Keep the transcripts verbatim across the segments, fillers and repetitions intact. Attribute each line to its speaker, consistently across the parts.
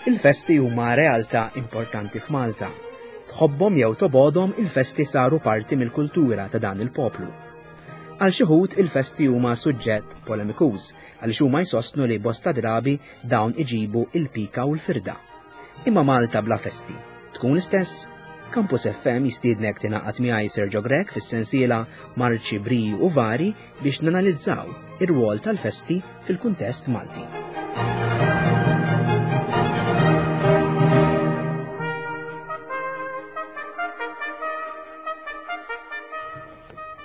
Speaker 1: Il-festi huma realtà importanti f'Malta. Tħobbhom jew tobgħodhom, il-festi saru parti mill-kultura ta' dan il-poplu. Għal xi wħud il-festi huma suġġett polemikuż għaliex huma jsostnu li bosta drabi dawn iġibu il-pika u l-firda. Imma Malta bla festi tkun l-istess? Campus F M jistiednek tingħaqad miegħi, Sergio Grech, fis-sensiela Marċi, Briju u Vari biex nanalizzaw ir-rwol tal-festi fil-kuntest Malti.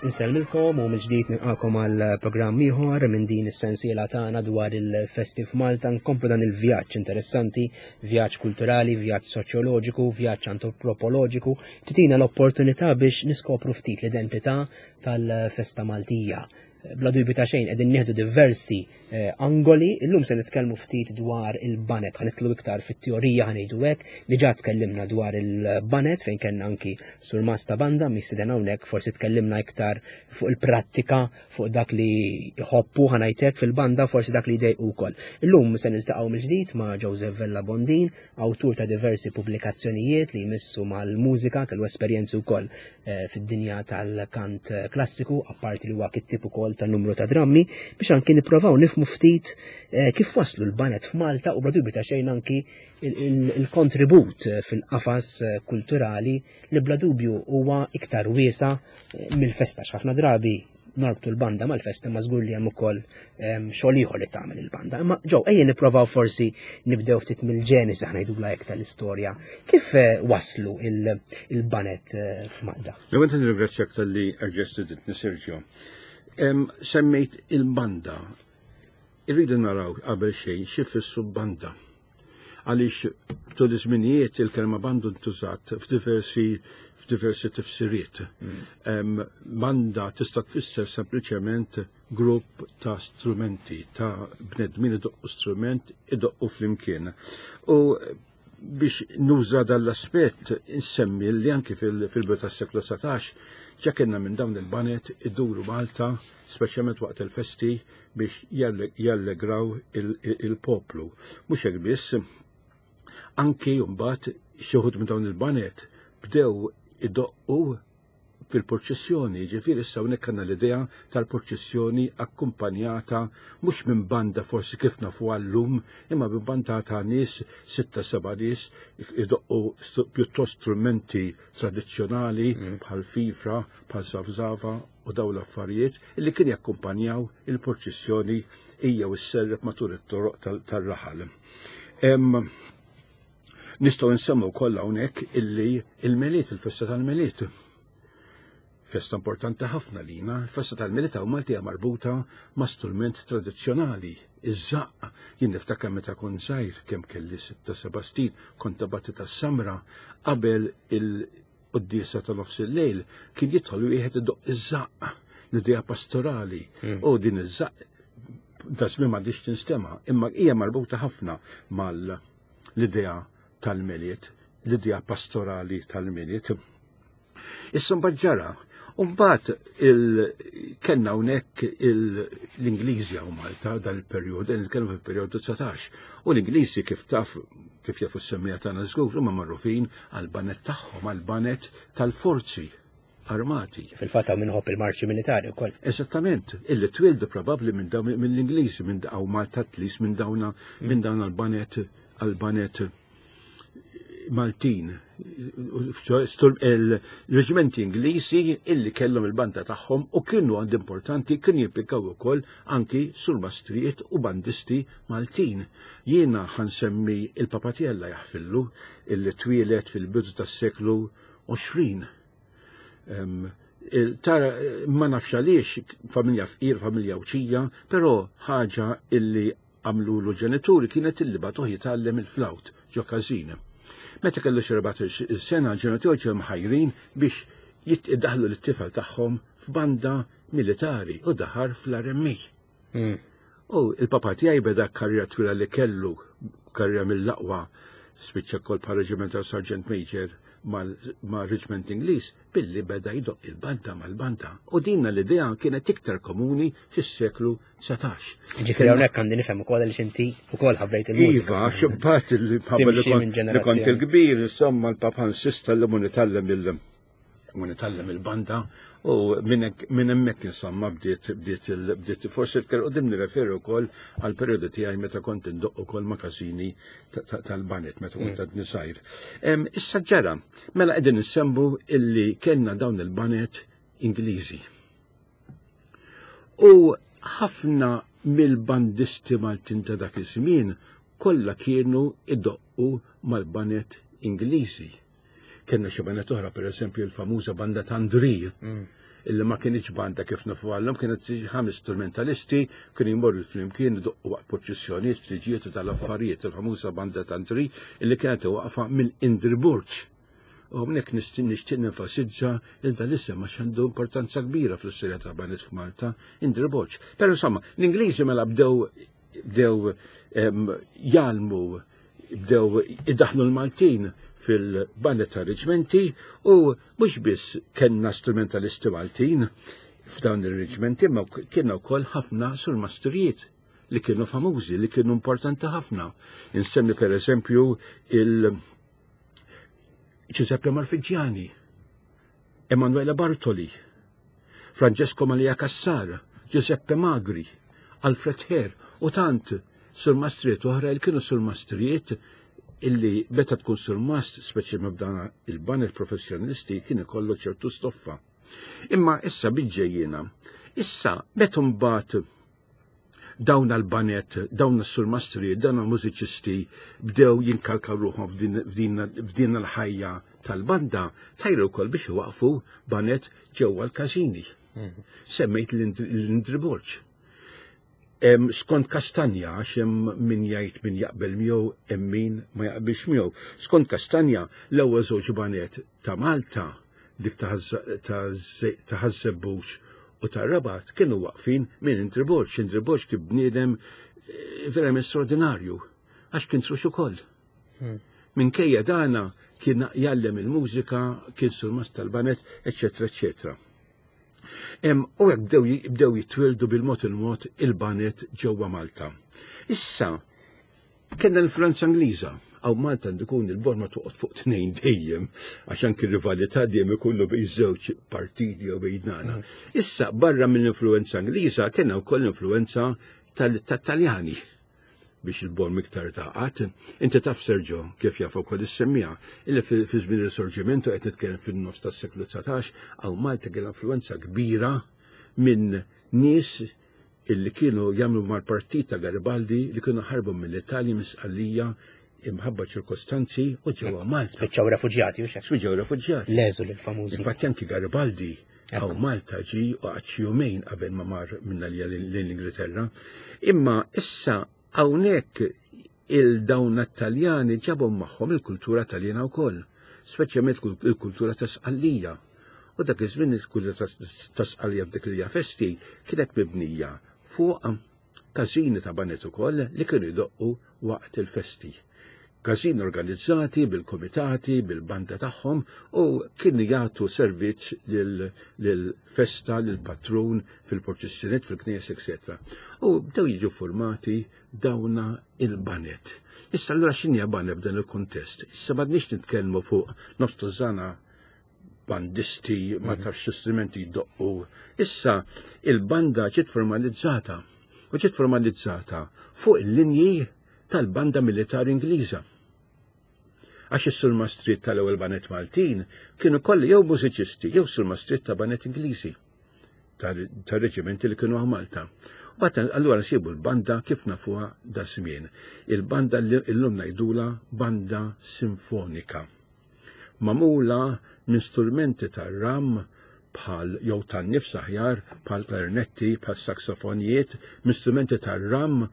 Speaker 1: Insellmilkom u mill-ġdid nilqakom għal programm ieħor minn din is-sensiela tagħna dwar il-festi f'Malta. Nkomplu dan il-vjaġġ interessanti, vjaġġ kulturali, vjaġġ soċjoloġiku, vjaġġ antropoloġiku, titina l-opportunità biex niskopru ftit l-identità tal-festa Maltija. Bla dubju ta' xejn qegħdin nieħdu diversi eh, angoli. Illum se nitkellmu ftit dwar il-baned, ħa nidħlu iktar fit-teorija, ħa ngħidu hekk. Diġà tkellimna dwar il-baned fejn kellna anki surmast ta' banda mistieden hawnhekk, forsi tkellimna iktar fuq il-prattika, fuq dak li jħobbu, ħa ngħidlek, fil-banda, forsi dak li jdejqu wkoll. Illum se niltaqgħu mill-ġdid ma' Joseph Vella Bondin, awtur ta' diversi pubblikazzjonijiet li jmissu mal-mużika, kellu esperjenzi wkoll eh, fid-dinja tal-kant klassiku, apparti li huwa kittib ukoll ta' numru ta' drammi, biex anki nipprovaw nifmu ftit eh, kif waslu l-baned f'Malta u bla dubju ta' xejn anki il-kontribut fil-qafas eh, kulturali li bla dubju huwa iktar wiesa eh, mill-festa. Ħafna drabi norbtu l-banda mal-festa, ma żgur li hemm ukoll xogħol ieħor li tagħmel il-banda. Imma ġew ejja nipprovaw forsi nibdew ftit mill-ġenesi, aħna ngħidulha hekk, tal-istorja. Kif waslu il-baned f'Malta?
Speaker 2: L-ewwel nirringrazzjak talli erġajt stedintni, Sergio. Semmejt il-banda. Irridu naraw qabel xejn xi jfissru banda. Għaliex tul iż-żminijiet il-kelma bandu ntużat f'diversi f'diversi tifsiriet. Mm. Banda tista' tfisser sempliċement grupp ta' strumenti, ta' bnedmin idoqqu strument, idoqqu flimkien. U biex nuża dal-aspett insemmi li anki fil-bidu tas-seklu dsatax ġa kellna minn dawn il-baned iduru Malta, speċjalment waqt il-festi, biex jallegraw il-poplu. Mhux hekk biss, anki mbagħad xi wħud minn dawn il-baned bdew idoqqu fil-purċissjoni, ġifieri issa hawnhekk għandna l-idea tal-purċissjoni akkumpanjata mhux minn banda forsi kif nafu għallum, imma minn banda ta' nies, sitta seba' nies idoqqu pjuttost strumenti tradizzjonali mm. bħal fifra, bħal safsafa u daw l-affarijiet illi kien jakkumpanjaw il-purċissjoni hija u sserrep matul it-toroq tal-raħal. Nistgħu nsemmu kollha hawnhekk illi il-Milied, il-festa tal-Milied, festa importanti ħafna lina, festa tal-Milied hawn Malta hija marbuta ma' strument tradizzjonali, iż-żaqq. Jien niftakar meta kont żgħir, kemm kelli sitta seba' snin, kont batti tas-Samra, qabel il-quddiesa ta' nofs il-lejl kien jidħol wieħed idoqq iż-żaqq, l-idea pastorali. Mm. U din iż-żaqq da żmien m'għadix tinstema', imma hija marbuta ħafna mal l-idea tal-Milied, l-idea pastorali tal-Milied. Issa mbagħad ġara, mbagħad kellna hawnhekk l-Ingliżi hawn Malta dal-perjodu, nitkellmu fil-perjodu dsatax, u l-Ingliżi, kif taf, kif jafu s-semmiegħa tagħna żgur, huma magħrufin għall-baned tagħhom, għall-baned tal-forzi armati.
Speaker 1: Fil-fatt hawn minħobb il-marċi militari wkoll.
Speaker 2: Eżattament, illi twildu probabbli minn dawn mill-Ingliżi, minn hawn Malta tlis minn dawna minn dawn għall-baned għall-baned Maltin, il-reġimenti Ingliżi illi kellhom il-banda tagħhom u kienu għand importanti, kienu jimplikaw ukoll anki surmastrijiet u bandisti Maltin. Jiena ħa nsemmi il-papa tiegħi, Alla jaħfirlu, illi twieled fil-bidu tas-seklu għoxrin. Tara, ma nafx għaliex, familja fqir, familja uċija, però ħaġa illi għamlu l-ġenituri kienet illi bagħtuh jitgħallem il-flawt ġo każin. Meta kellu xi erbatax-il sena, ġenituri ġew mħajrin biex jiddaħlu l-tifel tagħhom f'banda militari u daħal fl-R M A.
Speaker 1: Mm.
Speaker 2: U il-papa tiegħi beda karriera twila li kellu, karriera mill-aqwa, spiċċa kol pa' regimental sergeant major. mal-Reġment Ingliż billi beda jdoqq il-banda mal-banda. U dinna l-idea kienet iktar komuni fis-seklu dsatax.
Speaker 1: Ġifieri hawnhekk għandi nifhem ukoll li inti ukoll ħabbejt il-mużika.
Speaker 2: Iva, xibbat li li kont il-kbir, insomma l-papa insista li mu nitgħallem il- mu nitgħallem il-banda u minn hemmhekk insomma bdiet bdiet bdiet forsi iktar quddiem nirreferu wkoll għal perjodu tiegħi meta kont indoq ukoll ma' każini tal-banet meta kont għadni żgħir. Issa ġara, mela qegħdin insemmu illi kellna dawn il-banet Ingliżi. U ħafna mill-bandisti Maltin ta' dak iż-żmien kollha kienu idoqqu mal-banet Ingliżi. Kellna xi banet oħra, pereżempju l-famuża banda Tandri, illi ma kienx banda kif nafu għallhom, kienet ħames strumentalisti, kienu jmorru flimkien idoqqu waqt proċessjonijiet, ftiġijiet u tal-affarijiet, il-famuża banda Tandri illi kienet waqfa mill-Indri Borg. U hawnhekk nixtieq nenfasizza il dan l-isem għax għandu importanza kbira fl-istorja ta' banet f'Malta, Indri Borg. Però insomma, l-Ingliżi mela bdew bdew jgħallmu, bdew idaħlu l-Maltin fil-banet ta' reġmenti u mhux biss kellna strumentalisti Maltin f'dawn ir-reġmenti, ma kienna wkoll ħafna surmastrijiet li kienu famużi, li kienu importanti ħafna. Insemmi per eżempju il Giuseppe Marfigiani, Emanuele Bartoli, Francesco Maria Cassar, Giuseppe Magri, Alfred Herr u tant surmastrijiet oħra li kienu surmastrijiet illi meta tkun surmast, speċjalment b'dana il-banet professjonisti, kien ikollu ċertu stoffa. Imma issa biġġejjina, issa meta mbagħad dawn l-banet, dawn s-surmastri, dawn l-mużiċisti bdew jinkalkaw ruħhom f'din l-ħajja tal-banda, tajru wkoll biex iwaqfu banet ġewwa l-każini. Semmejt l-Indri Borg. Skont Kastanja, għax hemm min jgħid min jaqbel miegħu, hemm min ma jaqbilx miegħu. Skont Kastanja, l-ewwel żewġ banet ta' Malta, dik ta' Ħaż-Żebbuġ u ta' Rabat, kienu waqfin minn Indri Borg. Indri Borg kien bniedem verament straordinarju, għax kien trux ukoll. Minkejja dana kien jgħallem il-mużika, kien surmast tal-banet, eċċetera, eċċetera. U hekk bdew jitwildu bil-mod il-mod il-banet ġewwa Malta. Issa, kellna l-influenza Ingliża. Għaw Malta għandu jkun il-borma toqgħod fuq tnejn dejjem, għax anki rivalità dejjem ikunu bejn żewġ partiti jew bejn nana. Issa, barra mill-influenza Ingliża, kellna wkoll l-influenza tat-Taljani biex il-borm iktar taqat. Inti taf, Sergio, kif jaf ukoll is-semmija, illi fi żmien ir-Risorġimento, qed nitkellem fin-nofs tas-seklu dsatax, għaw Malta kellha influenza kbira minn nies illi kienu jagħmlu mal-partit ta' Garibaldi li kienu ħarbu mill-Italja misqallija imħabba ċirkostanzi u ġewwa Malta.
Speaker 1: Spiċċaw refuġjati u xek.
Speaker 2: Spiċċaw refuġjati.
Speaker 1: L-eżul il-famużi.
Speaker 2: Infatti anki Garibaldi għaw Malta ġi u għad xi jumejn qabel ma mar minna li l-Ingilterra. Imma issa hawnhekk il-dawn Taljani ġabhom magħhom il-kultura Taljana wkoll, speċjalment il-kultura ta' Sqallija. U dak iż-żmien il-kultura ta' Sqallija f'dik li festi kienet mibnija fuq każini ta' banet ukoll li kienu jdoqqu waqt il-festi. Każini organizzati bil-komitati, bil-banda tagħhom u kienu jagħtu servizz lil-festa, lil-patrun, fil-proċessjoniet, fil-knies, eċċetera. U bdew jiġu formati dawna il-banet. Issa allura x'inhi banet f'dan il-kontest? Issa m'għadniex nitkellmu fuq nofs tużana bandisti ma tafx strumenti jdoqqu. Issa il-banda ġiet formalizzata u ġiet formalizzata fuq il-linji tal-banda militari Ingliża. Għax is-surmastriet tal-ewwel banet Maltin kienu kollha jew mużiċisti jew surmastriet ta' banet Ingliżi tar-reġimenti li kienu għaw Malta. U bat allura nsibu l-banda kif nafuha da żmien. Il-banda li llum ngħidula banda sinfonika. Magħmula minn strumenti tar-ram bħal jew tan-nifs aħjar, bħal klarinetti, bħal saksofonijiet, minn strumenti tar-ram,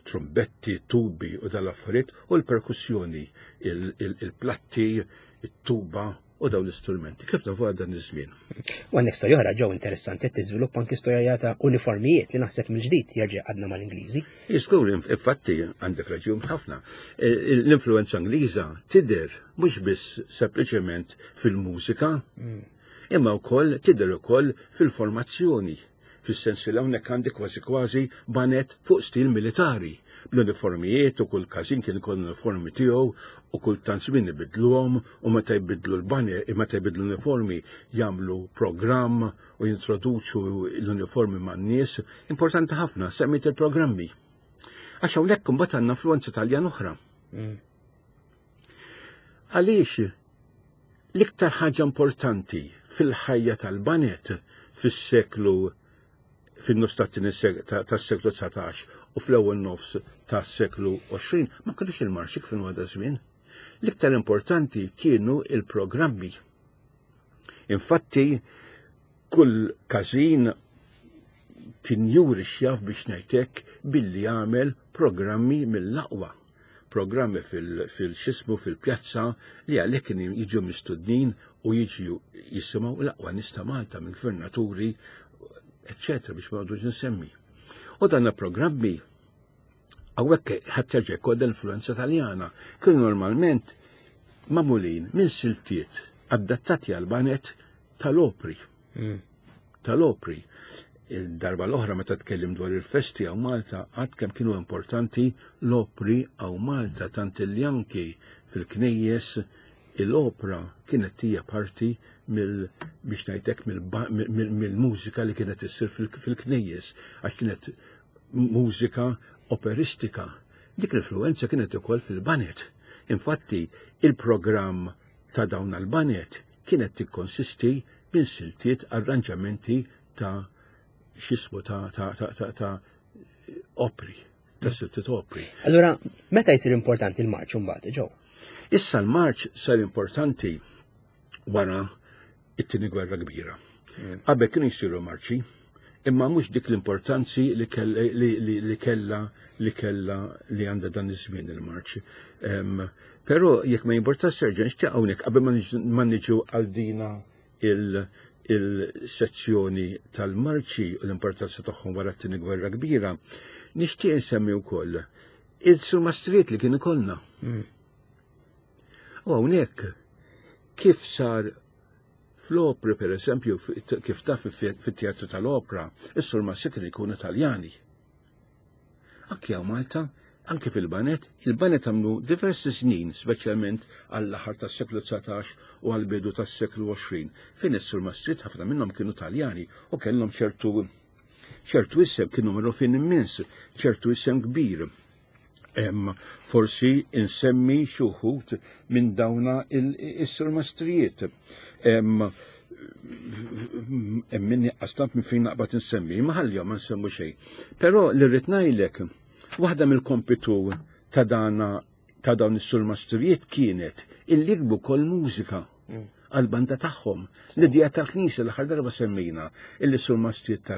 Speaker 2: trombetti, tubi u dal-affarijiet, u l-perkussjoni, il-platti, it-tuba u dawn l-istrumenti. Kif tafu għal dan iż-żmien.
Speaker 1: U għandek storja oħra ġew interessanti qed tiżviluppa anki storja ta' uniformijiet li naħseb mill-ġdid jerġa' għadna mal-Ingliżi.
Speaker 2: Żgur, infatti għandek raġun ħafna. E, l-influenza Ingliża tidher mhux biss sempliċement fil-mużika, mm. imma wkoll tidher ukoll fil-formazzjoni. Fis-sens li hawnhekk għandi kważi kważi banet fuq stil militari. L-uniformijiet u kull każin kien ikoll l-uniformi tiegħu u kull tant żmien ibidluhom u meta jbidlu l-bane, meta jbidlu l-uniformi jagħmlu programm u jintroduċu l-uniformi man-nies. Importanti ħafna, semmit il-programmi. Għax hawnhekk imbagħad għandna influenza Taljan oħra. Mm. Għaliex l-iktar ħaġa importanti fil-ħajja tal-banet fis-seklu fin-nofs tas-seklu dsatax u fl-ewwel nofs tas-seklu għoxrin ma kienux il-marxi kif inhu għadha żmien. L-iktar importanti kienu il-programmi. Infatti, kull każin kien juri x'jaf biex ngħidlek billi jagħmel programmi mill-aqwa. Programmi fil-xismu fil-pjazza li għalhekk kien jiġu mistudnin u jiġu jisimgħu l-aqwa nies ta' Malta minn gvernaturi, eccetera, biex ma għadux nsemmi. U dan programmi hawnhekk ħa terġa' jkollha l-influenza Taljana, kienu normalment magħmulin minn siltiet adattati għal banet tal-opri. Mm. Tal-opri. Il-darba l-oħra meta tkellim dwar il-festi hawn Malta, għad kemm kienu importanti l-opri hawn Malta, tant li anki fil-knejjes l-opra kienet hija parti mill biex ngħidlek mill-mużika li kienet issir fil-knejjes, għax kienet mużika operistika. Dik l-influenza kienet ukoll fil-banet. Infatti, il-programm ta' dawn għal-banet kienet tikkonsisti minn siltiet arranġamenti ta' xismu ta' ta' ta' ta' ta' opri, ta' siltiet opri.
Speaker 1: Allura, meta jsir importanti il-marċ mbagħad, ġew?
Speaker 2: Issa l-marċ sar importanti wara it-tieni gwerra kbira. Mm. Qabel kienu jsiru marċi, imma mhux dik l-importanzi li kella li kella li għandha dan iż-żmien il-marċ. Però jekk ma jimporta Serġan, nixtieq hawnhekk qabel ma niġu għal dina il-sezzjoni tal-marċi u l-importanza tagħhom wara t-tieni gwerra kbira, nixtieq insemmi wkoll il-surmastrijiet li kien ikollna. Mm. U hawnhekk kif sar fl-opri, per eżempju, kif taf fit-teatru tal-opra, is-surmasti kienu jkunu Taljani. Anki hawn Malta, anki fil-banet, il-banet għamlu diversi snin, speċjalment għall-aħħar tas-seklu dsatax u għall-bidu tas-seklu għoxrin, fejn is-surmastrijiet ħafna minnhom kienu Taljani u kellhom ċertu ċertu isem, kienu magħrufin immens, ċertu isem kbir. Em, forsi insemmi xi wħud minn dawna is-surmastrijiet. Hemm minni għastant minn fejn naqbad insemmi, ma ħallihom ma nsemmu xejn. Però li rrid ngħidlek, waħda mill-kompitu ta' dana ta' dawn is-surmastrijiet kienet illi jiktbu kol mużika mm. għal-banda tagħhom. L-idea tal-Knisja l-aħħar darba semmejna illi surmastrijiet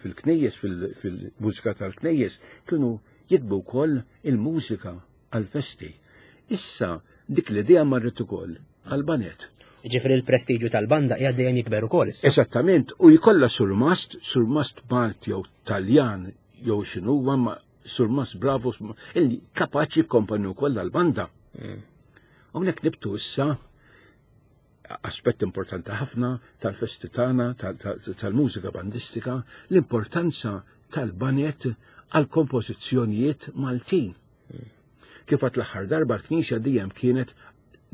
Speaker 2: fil-knejjes, fil-mużika tal-knejjes kienu jiktbu wkoll il-mużika għal-festi. Issa dik l-idea marret ukoll għal-banet.
Speaker 1: Ġifieri l-prestiġju tal-banda qiegħed dejjem jikber ukoll issa.
Speaker 2: Eżattament, u jkollha surmast, surmast Malti jew Taljan jew x'inhuwa ma surmast bravo illi kapaċi jikkomponi wkoll għall-banda. Mm. Hawnhekk nibtu issa aspett importanti ħafna tal-festi tagħna, tal-mużika bandistika, l-importanza tal-banet għal kompożizzjonijiet Maltin. Kif għat l-aħħar darba l-Knisja dejjem kienet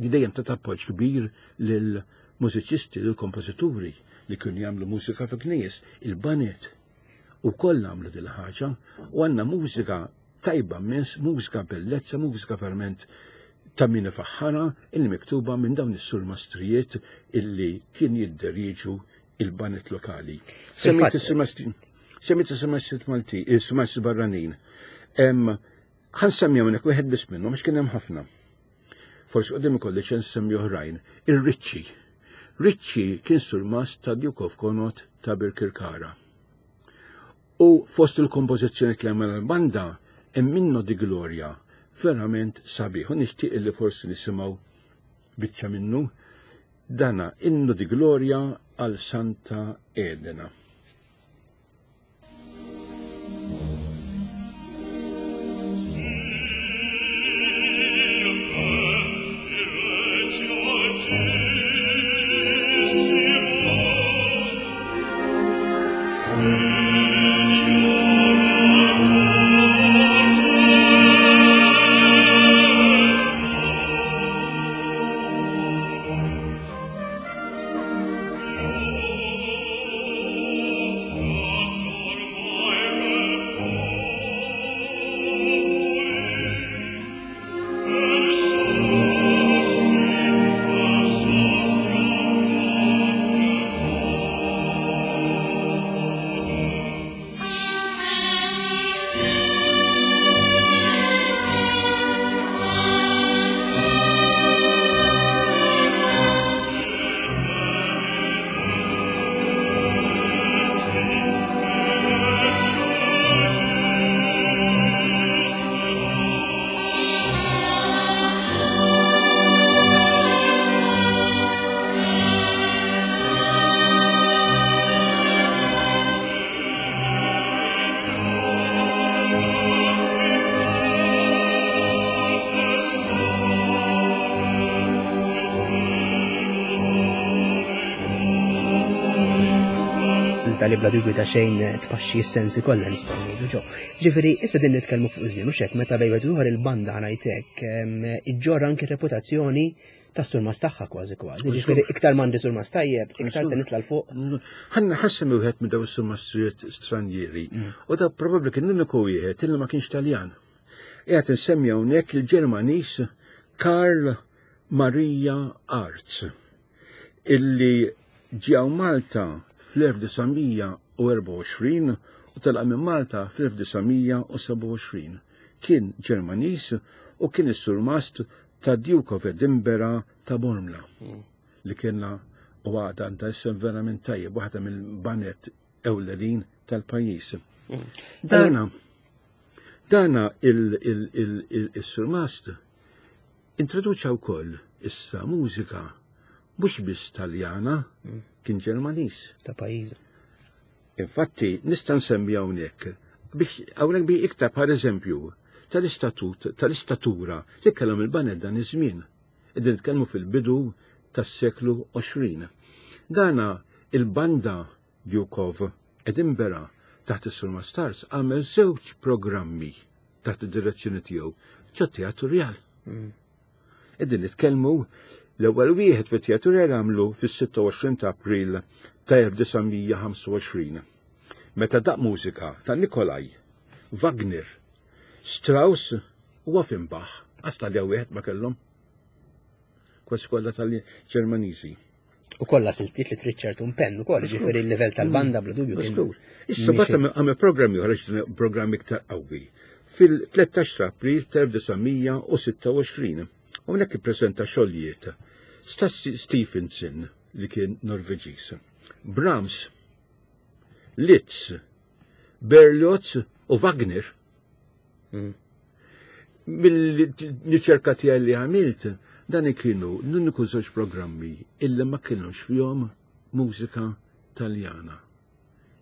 Speaker 2: dejjem ta' appoġġ kbir lil mużiċisti, lil kompożituri li kienu jagħmlu mużika fil-knejjes, il-banet. U koll għamlu dil ħaġa u għandna mużika tajba immens, mużika bellezza, mużika verament ta' min ifaħħara illi miktuba minn dawn is-surmastrijiet illi kien jidderieġu il-banet lokali. Semmejt is-surmastrijiet Malti, is-surmastrijiet barranin. Ħa nsemmi hawnhekk wieħed biss minnhom għax kien hemm ħafna. Forsi qudiem ikolli ċans nsemmi oħrajn. Ir-Ricci. Ricci kien surmast ta' Duke of Connaught ta' Birkirkara. U fost il-kompożizzjoni li għamel l-banda hemm minnu di Gloria verament sabiħ. U nixtieq li forsi nisimgħu biċċa minnu. Dana Innu di Gloria għal Santa Elena.
Speaker 1: Li bla dubju ta' xejn tpaxxi s-sensi kollha nistgħu ngħidu ġo. Ġifieri issa din nitkellmu fuq żmien u xek meta bejn wieħed ieħor il-banda ngħidlek iġġorr anke reputazzjoni ta' surmas tagħha kważi kważi. Ġifieri iktar m'għandi surmas tajjeb, iktar se nitla' l fuq.
Speaker 2: Ħanna ħassem wieħed minn dawn is-surmastrijiet stranjieri u da probabbli kien l-uniku wieħed illi ma kienx Taljan. Qiegħed insemmi hawnhekk il-Ġermaniż Karl Maria Arz illi ġew Malta fl-elf disa' mija u erbgħa u għoxrin u telaq minn Malta fl-elf disa' mija u sebgħa u għoxrin. Kien Ġermaniż u kien is-surmast ta' Duke of Edinburgh ta' Bormla, li kienna u għadha għandha isem verament tajjeb, waħda mill-banet ewlenin tal-pajjiż. Dana, dana il-surmast introduċa wkoll issa mużika mhux biss Taljana, kien Ġermaniż.
Speaker 1: Ta' pajjiż.
Speaker 2: Infatti, nista' nsemmi hawnhekk biex hawnhekk bi iktar bħal eżempju tal-istatut, tal-istatura li kellhom il-baned dan iż-żmien. Qegħdin nitkellmu fil-bidu tas-seklu għoxrin. Dana il-banda Duke of Edinburgh taħt is-Surmast Arz għamel żewġ programmi taħt id-direzzjoni tiegħu ġo Teatru Rjal. Qegħdin nitkellmu l-ewwel wieħed fit-Teatru Rjal għamlu fis-sitta u għoxrin ta' April ta' elf disa' mija ħamsa u għoxrin. Meta daq mużika ta' Nikolaj, Wagner, Strauss u Offenbach, għas tal wieħed ma kellhom. Kważi kollha tal-Ġermaniżi.
Speaker 1: U kollha siltiet li trid ċertu impenn ukoll, ġifieri l-livell tal-banda bla dubju kien
Speaker 2: Żgur. Issa bata għamel programmi oħra, ġifieri programmi iktar qawwi. Fil-tlettax ta' April ta' elf disa' mija u sitta u għoxrin. Hawnhekk ippreżenta xogħlijiet Stassi Stephenson li kien Norveġiż, Brahms, Liszt, Berlioz u Wagner.
Speaker 1: Mm.
Speaker 2: Mill-riċerka tiegħi li għamilt, dan kienu l-uniku żewġ programmi illi ma kienux fihom mużika Taljana.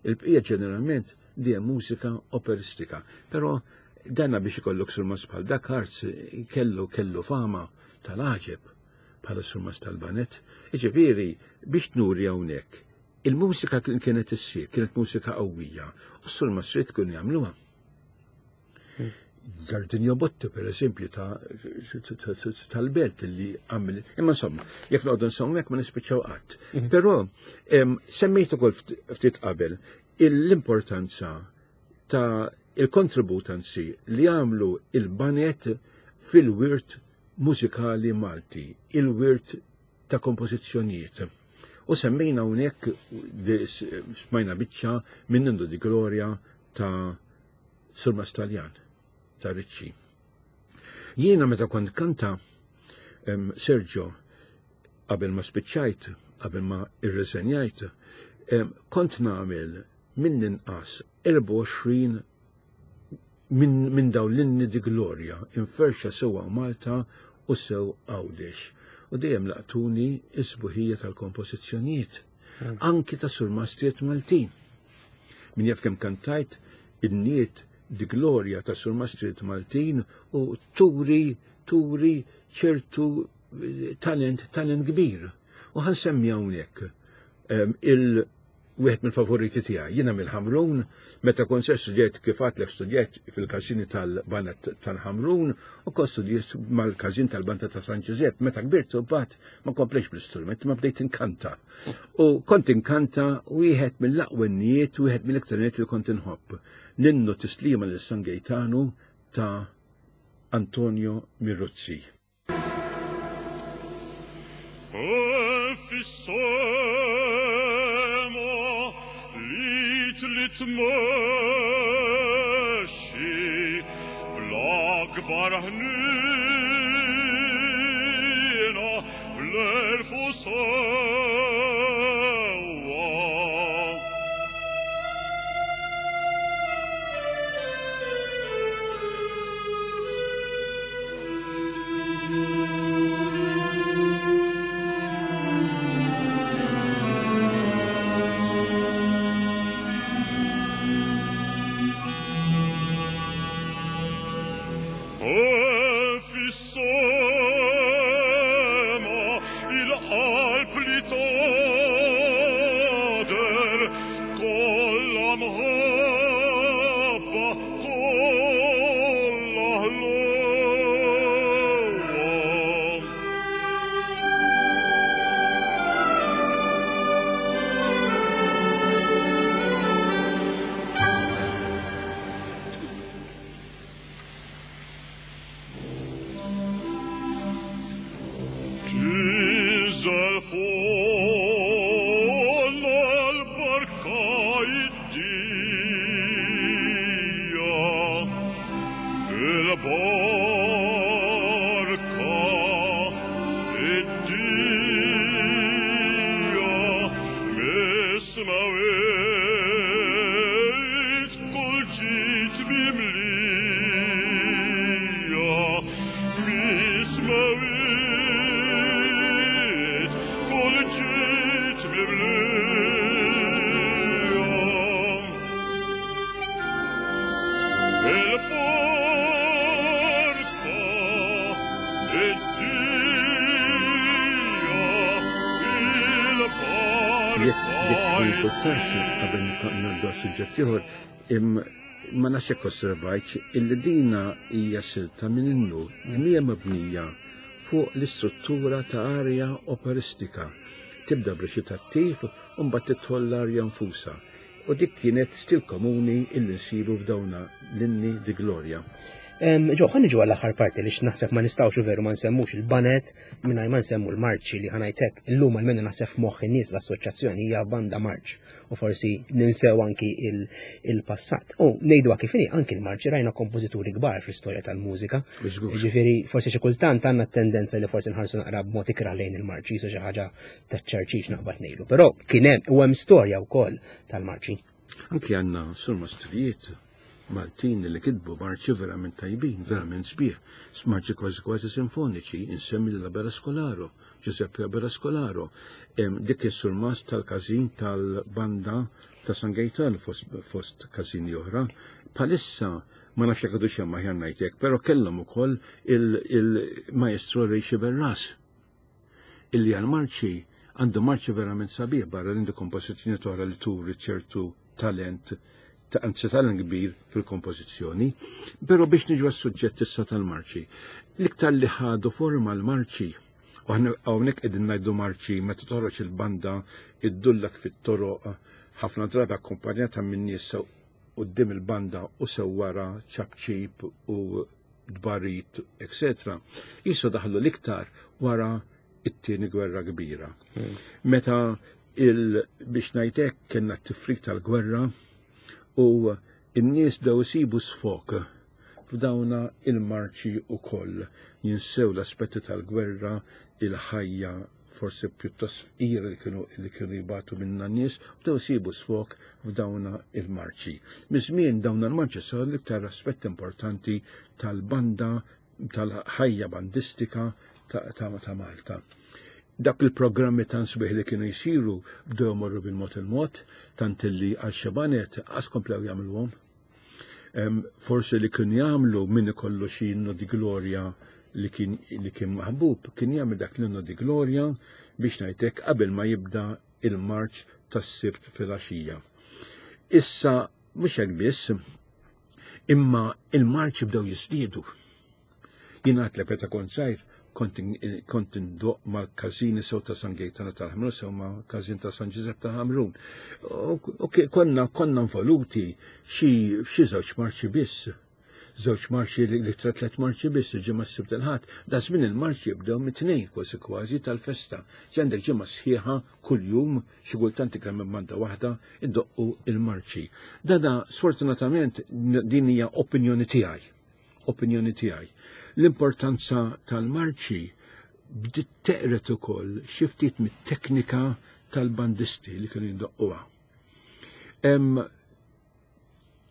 Speaker 2: Il-bqija ġeneralment dejjem mużika operistika, però danna biex ikollok surmas bħal dak Arz kellu, kellu fama tal-għaġeb bħala surmas tal-banet. Jiġifieri biex nuri hawnhekk, il-mużika kien kienet issir, kienet mużika qawwija, u s-surmas trid tkun jagħmluha. Gardinio Botti, per eżempju, tal-belt li għamil. Imma insomma, jekk noqogħdu nsemmu hekk ma nispiċċaw qatt.
Speaker 1: Mhm.
Speaker 2: Però, em, semmejt ukoll ftit, ftit qabel l-importanza ta' il-kontribut anzi li għamlu il-banet fil-wirt mużikali Malti, il-wirt ta' kompożizzjonijiet. U semmejna hawnhekk smajna biċċa minn Innu di Gloria ta' Surmas Taljan, ta' Ricci. Jiena meta kont kanta, em, Sergio, qabel ma spiċċajt, qabel ma irreżenjajt, em, kont nagħmel minn inqas erbgħa u għoxrin minn, minn dawn l-inni di Gloria, inferxa sewwa Malta u sew Għawdex. U dejjem laqtuni is-sbuħija tal-kompożizzjonijiet, anki ta' surmastrijiet Maltin. Min jaf kemm kantajt in-niet di glorja ta' surmastrijiet Maltin u turi turi ċertu talent, talent kbir. U ħansemmi hawnhekk il wieħed mill-favoriti tiegħi. Jiena mill-Ħamrun, meta kont se studjajt kif għadlek studjajt fil-każini tal-Banda tal-Ħamrun u kont studjajt mal-każin tal-Banda ta' San Ġużepp. Meta kbirt mbagħad ma komplejx bl-istrument, ma bdejt inkanta. U kont inkanta wieħed mill-aqwa innijiet, wieħed mill-iktar innijiet li kont inħobb. L-innu tislima lil San Gejtanu ta' Antonio Miruzzi.
Speaker 3: Tmexxi bl-akbar ħnina bl-erf u sewwa.
Speaker 2: Qabel ngħaddu għas-suġġett ieħor, ma nafx jekk osservajtx illi dina hija silta minn innu li hija mabnija fuq l-istruttura ta' arja operistika. Tibda b'reċitattiv u mbagħad tidħol l-arja nfusa. U dik kienet stil komuni illi nsibu f'dawna l-inni di Gloria.
Speaker 1: Ġo, ħa niġu għall-aħħar parti li naħseb ma nistgħux veru ma nsemmux il-banet mingħajr ma nsemmu l-marċi li ħanajtek illum almenu naħseb f'moħħ in-nies l-assoċjazzjoni hija banda marċ u forsi ninsew anki il-passat. U ngħidu kif inhi anki l-marċi rajna kompożituri kbar fl-istorja tal-mużika. Ġifieri forsi xi kultant għandna tendenza li forsi nħarsu naqra b'mod ikrah lejn il-marċi, xi ħaġa taċ-ċerċix naqbad ngħidu. Però kien hemm u hemm storja wkoll tal-marċi.
Speaker 2: Anki għandna surmastrijiet Maltin li kitbu marċi verament tajbin, verament sbieħ, marċi kważi kważi sinfoniċi, insemmi l-Abela Scolaro, Giuseppe Abela Scolaro, dik is-surmast tal-każin tal-banda ta' San Gaetano fost, fost każini oħra. Palissa ma nafx jekk għadux hemm aħjar ngħid hekk, però kellhom ukoll il-maestro Ray Sciberras, illi għal-marċi għandu marċi verament sabiħ barra l-għandu kompożizzjoni oħra li turi ċertu talent anzi talent kbir fil-kompożizzjoni, però biex niġu għas-suġġett issa tal-marċi. L-iktar li ħadu forma l-marċi, u hawnhekk qegħdin ngħidu marċi meta toħroġ il-banda iddullak fit-toroq ħafna drabi akkumpanjata minn nies quddiem il-banda u sew wara ċapċip u dbarit, eċetera. Jisu daħlu l-iktar wara it-tieni gwerra kbira. Meta il biex ngħidlek kellna t-tifrik tal-gwerra u n-nies bdew isibu sfok f'dawna il-marċi ukoll. Jinsew l-aspetti tal-gwerra, il-ħajja forsi pjuttost fqira li kienu li kienu jibatu minna n-nies, bdew isibu sfok f'dawna il-marċi. Miż-żmien dawna l-marċi saru l-iktar aspett importanti tal-banda, tal-ħajja bandistika ta', ta, ta Malta. Dak il-programmi tan sbieħ li kienu jsiru bdew jmorru bil-mod il-mod, tant li għal xi baned qas komplew jagħmluhom. Forsi li kienu jagħmlu min ikollu xi innu di glorja li kien li kien maħbub, kien jagħmel dak l-innu di glorja biex ngħidlek qabel ma jibda il-marċ tas-Sibt fil-għaxija. Issa mhux hekk biss, imma il-marċ bdew jiżdiedu. Jien għedtlek meta kont żgħir kont indoqq mal-każini sew ta' San Gejtana tal-Ħamrun sew ma' każin ta' San Ġużepp ta' Ħamrun. U konna konna involuti xi xi żewġ marċi biss. Żewġ marċi li tliet marċi biss ġimgħa s-Sibt il-Ħadd. Da żmien il-marċi jibdew mit-tnejn kważi kważi tal-festa. Għandek ġimgħa sħiħa kuljum xi kultant iktar minn banda waħda iddoqqu il-marċi. Dada sfortunatament din hija opinjoni tiegħi. Opinjoni tiegħi. L-importanza tal-marċi bdiet teqret ukoll xi ftit mit-teknika tal-bandisti li kienu jindoqquha.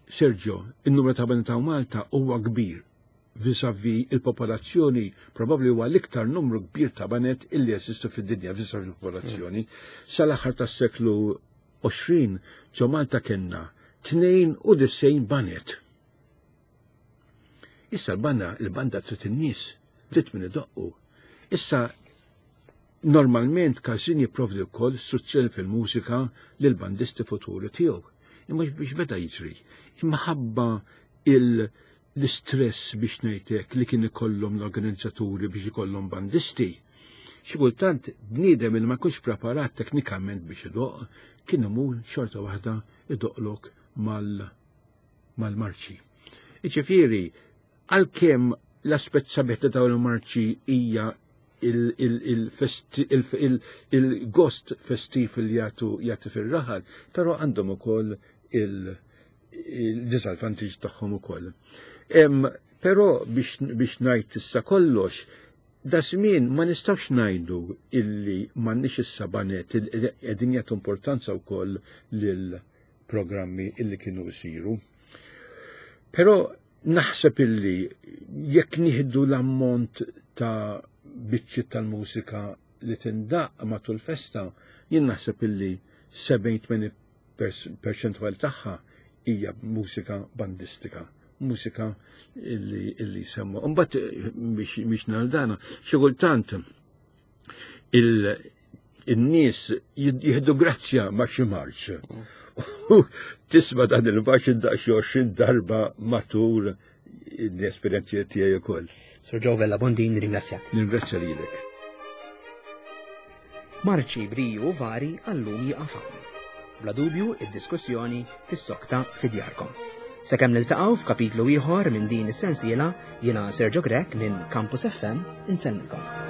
Speaker 2: Sergio, il-numru ta' banda ta' Malta huwa kbir vis-a-vis il-popolazzjoni, probabbli huwa l-iktar numru kbir ta' baned illi jeżistu fid-dinja vis-a-vis il-popolazzjoni. Sal-aħħar tas-seklu għoxrin ġo Malta kellna tnejn u disgħin baned. Issa l-banda, il-banda trid in-nies, trid min idoqqu. Issa normalment każin jipprovdi wkoll istruzzjoni fil-mużika lil bandisti futuri tiegħu. Imma biex beda jiġri, imma l-istress biex ngħidlek li kien ikollhom l-organizzaturi biex ikollhom bandisti. Xi kultant bniedem li ma jkunx preparat teknikament biex idoq, kien imur xorta waħda idoqlok mal-marċi. Iġifieri, għalkemm l-aspett sabiħ ta' dawn il-marċi hija il-gost festiv li jagħtu jagħti fir-raħal, però għandhom ukoll il-disadvantage tagħhom ukoll. Però biex ngħid issa kollox, da żmien ma nistgħux ngħidu illi m'għandniex issa baned qegħdin jagħtu importanza wkoll lil programmi illi kienu jsiru. Però naħseb illi jekk nieħdu l-ammont ta' biċċi tal-mużika li tindaq matul festa, jien naħseb illi sebgħin perċentwal tagħha hija mużika bandistika, mużika illi illi semmu. Imbagħad biex naldana, xi kultant il-nies jieħdu grazzja ma' xi marċ. Tisma' dan il-marċ daqs għoxrin darba matul l-esperjenzi tiegħi ukoll.
Speaker 1: Sir Joe Vella Bondin, nirringrazzjak.
Speaker 2: Nirringrazzja lilek.
Speaker 1: Marċi briju vari għallum jieqaf hawn. Bla dubju id-diskussjoni fis-sokta fi djarkom. Sakemm niltaqgħu f'kapitlu ieħor minn din is-sensiela, jiena Sergio Grech minn Campus F M insellmilkom.